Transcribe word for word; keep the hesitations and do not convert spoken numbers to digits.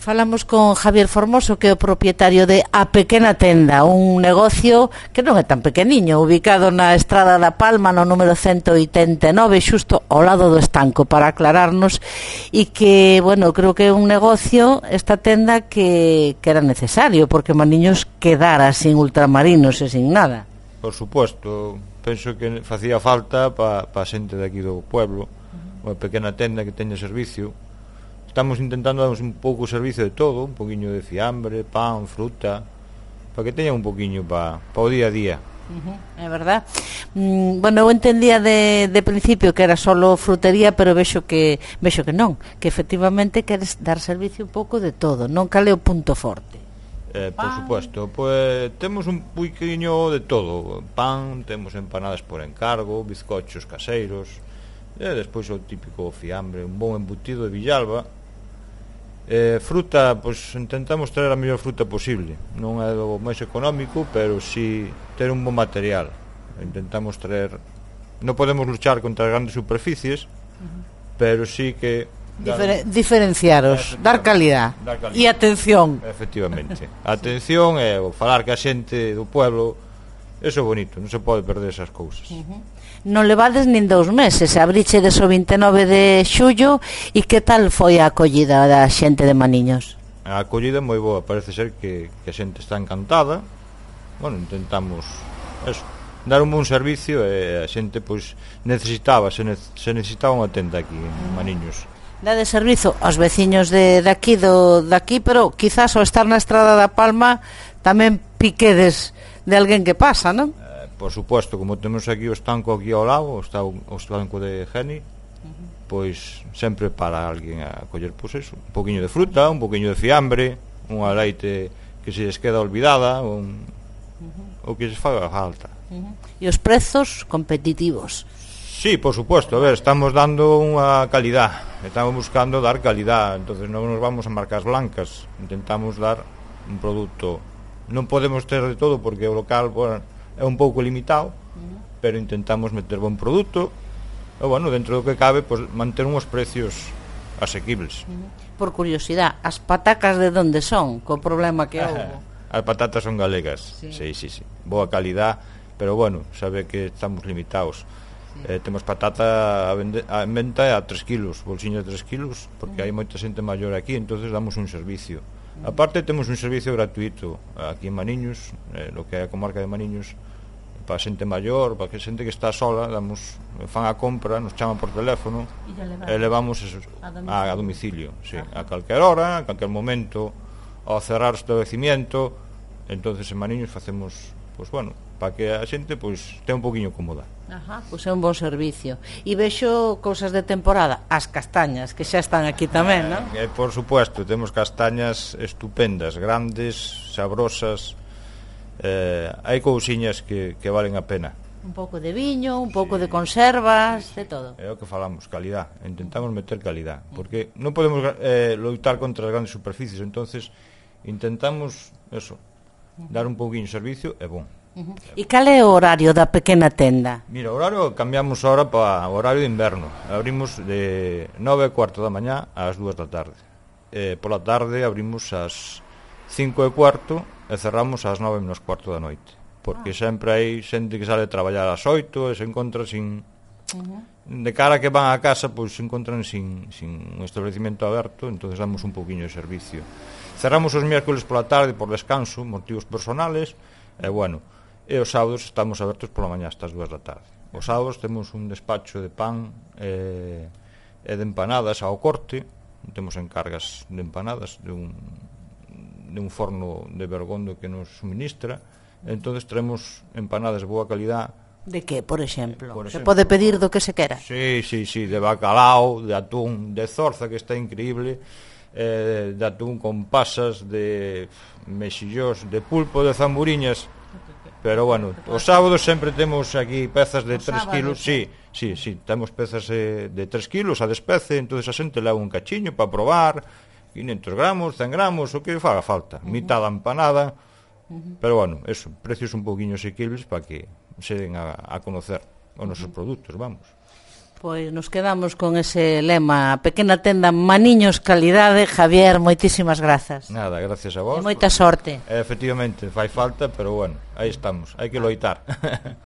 Falamos con Javier Formoso, que é o propietario de A Pequena Tenda, un negocio que non é tan pequeniño, ubicado na Estrada da Palma, no número ciento oitenta e nove, xusto ao lado do estanco, para aclararnos, e que, bueno, creo que é un negocio, esta tenda, que, que era necesario, porque Maniños quedara sin ultramarinos e sin nada. Por suposto, penso que facía falta para pa a xente de aquí do pueblo, uh-huh. Unha pequena tenda que teña servicio. Estamos intentando darnos un pouco o servicio de todo, un poquinho de fiambre, pan, fruta, para que teñan un poquinho para pa o día a día. Uh-huh, é verdad. Mm, bueno, eu entendía de, de principio que era solo frutería, pero vexo que vexo que non, que efectivamente queres dar servicio un pouco de todo, non? Cal é o punto forte? Eh, por supuesto, pues temos un poquinho de todo, pan, temos empanadas por encargo, bizcochos caseiros, e despois o típico fiambre, un bon embutido de Villalba. Eh, fruta, pois intentamos traer a mellor fruta posible. Non é do máis económico, pero si ter un bon material. Intentamos traer. Non podemos luchar contra as grandes superficies, uh-huh. pero si que Difer diferenciaros, dar calidad. dar calidad e atención. Efectivamente. A atención é o falar que a xente do pueblo, eso é bonito, non se pode perder esas cousas. Uh-huh. Non levades nin dous meses, abrichedes o vinte e nove de xullo, e que tal foi a acollida da xente de Maniños? A acollida é moi boa, parece ser que, que a xente está encantada. Bueno, intentamos eso, dar un bon servicio, e a xente pois necesitaba, se, ne se necesitaba unha tenda aquí en Maniños. Dade servizo aos veciños de daqui, do daqui, pero quizás ao estar na Estrada da Palma tamén piquedes de alguén que pasa, non? Por suposto, como temos aquí o estanco aquí ao lado, está o, o estanco de Geni, uh-huh. pois sempre para alguén a coller, pois eso, un poquinho de fruta, un poquinho de fiambre, unha leite que se les queda olvidada, un, uh-huh. o que se faga falta. Uh-huh. E os prezos competitivos? Sí, por suposto, a ver, estamos dando unha calidad, estamos buscando dar calidad, entonces non nos vamos a marcas blancas, intentamos dar un produto, non podemos ter de todo porque o local, bueno, é un pouco limitado, uh-huh. pero intentamos meter bon produto e, bueno, dentro do que cabe, pues, manter uns precios asequibles. Uh-huh. Por curiosidade, as patacas de onde son, co problema que houve? As patatas son galegas, sí. Sí, sí, sí, boa calidad, pero, bueno, sabe que estamos limitados. Sí. Eh, temos patata a, vende, a venta a tres kilos, bolsiña de tres kilos, porque uh-huh. hai moita xente maior aquí, entonces damos un servicio. Uh-huh. Aparte temos un servicio gratuito aquí en Maniños, eh, lo que é a comarca de Maniños, para xente maior, para que xente que está sola, damos, fan a compra, nos chaman por teléfono e levamos eso, a domicilio, a, a, domicilio sí, a calquer hora, a calquer momento, ao cerrar o establecimiento. Entonces en Maniños facemos, pois, bueno, para que a xente pois este un poquinho cómoda. Ajá, pois é un bon servicio. E vexo cousas de temporada, as castañas, que xa están aquí tamén, non? Eh, por supuesto, temos castañas estupendas, grandes, sabrosas. Eh, hai cousiñas que, que valen a pena. Un pouco de viño, un pouco sí, de conservas, sí, sí. de todo. É o que falamos, calidad. Intentamos meter calidad, porque non podemos eh, loitar contra as grandes superficies, entonces intentamos eso, dar un pouquinho de servicio e bon. Uh-huh. E cal é o horario da pequena tenda? Mira, o horario cambiamos ahora para o horario de inverno. Abrimos de nove e cuarto da mañá ás dúas da tarde. Eh, pola tarde abrimos ás cinco e cuarto e cerramos ás nove menos cuarto da noite. Porque ah. sempre hai xente que sale a traballar ás oito e se encontra sin... Uh-huh. De cara que van a casa, pois se encontran sin, sin un establecimento aberto, entonces damos un pouquiño de servicio. Cerramos os miércoles pola tarde por descanso, motivos personales, e bueno... e os sábados estamos abertos pola mañá hasta as dúas da tarde. Os sábados temos un despacho de pan e, e de empanadas ao corte, temos encargas de empanadas de un, de un forno de Bergondo que nos suministra, entonces traemos empanadas de boa calidad. De que, por exemplo? Por exemplo? Se pode pedir do que se quera? Sí, sí, sí, de bacalao, de atún, de zorza, que está increíble, eh, de atún con pasas, de mexillós, de pulpo, de zamburiñas. Pero bueno, os sábados sempre temos aquí pezas de tres kilos. Sí, sí, sí, temos pezas de tres kilos a despece, entonces a xente leva un cachiño para probar, quinhentos gramos, cen gramos, o que faga falta, uh-huh. mitad da empanada, uh-huh. pero bueno, eso, precios un poquinho asequibles para que se den a, a conocer os nosos uh-huh. produtos, vamos. Pois nos quedamos con ese lema, a pequena tenda Maniños calidade. Javier, moitísimas grazas. Nada, gracias a vos. E moita sorte. Efectivamente, fai falta, pero bueno, aí estamos, hai que loitar.